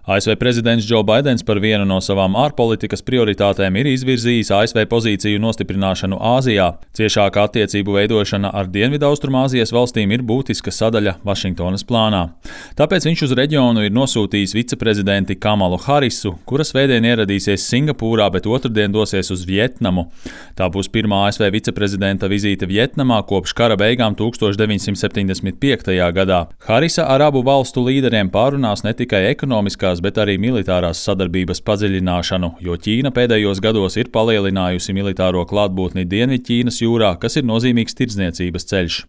ASV prezidents Džo Baidens par vienu no savām ārpolitikas prioritātēm ir izvirzījis ASV pozīciju nostiprināšanu Āzijā. Ciešāka attiecību veidošana ar Dienvidaustrumāzijas valstīm ir būtiska sadaļa Vašingtonas plānā. Tāpēc viņš uz reģionu ir nosūtījis viceprezidenti Kamalu Harisu, kura svētdien ieradīsies Singapūrā, bet otrdien dosies uz Vjetnamu. Tā būs pirmā ASV viceprezidenta vizīte Vjetnamā kopš kara beigām 1975. gadā. Harisa ar abu valstu līderiem pārunās ne tikai ekonomiskās, bet arī militārās sadarbības padziļināšanu, jo Ķīna pēdējos gados ir palielinājusi militāro klātbūtni Dienvidķīnas jūrā, kas ir nozīmīgs tirdzniecības ceļš.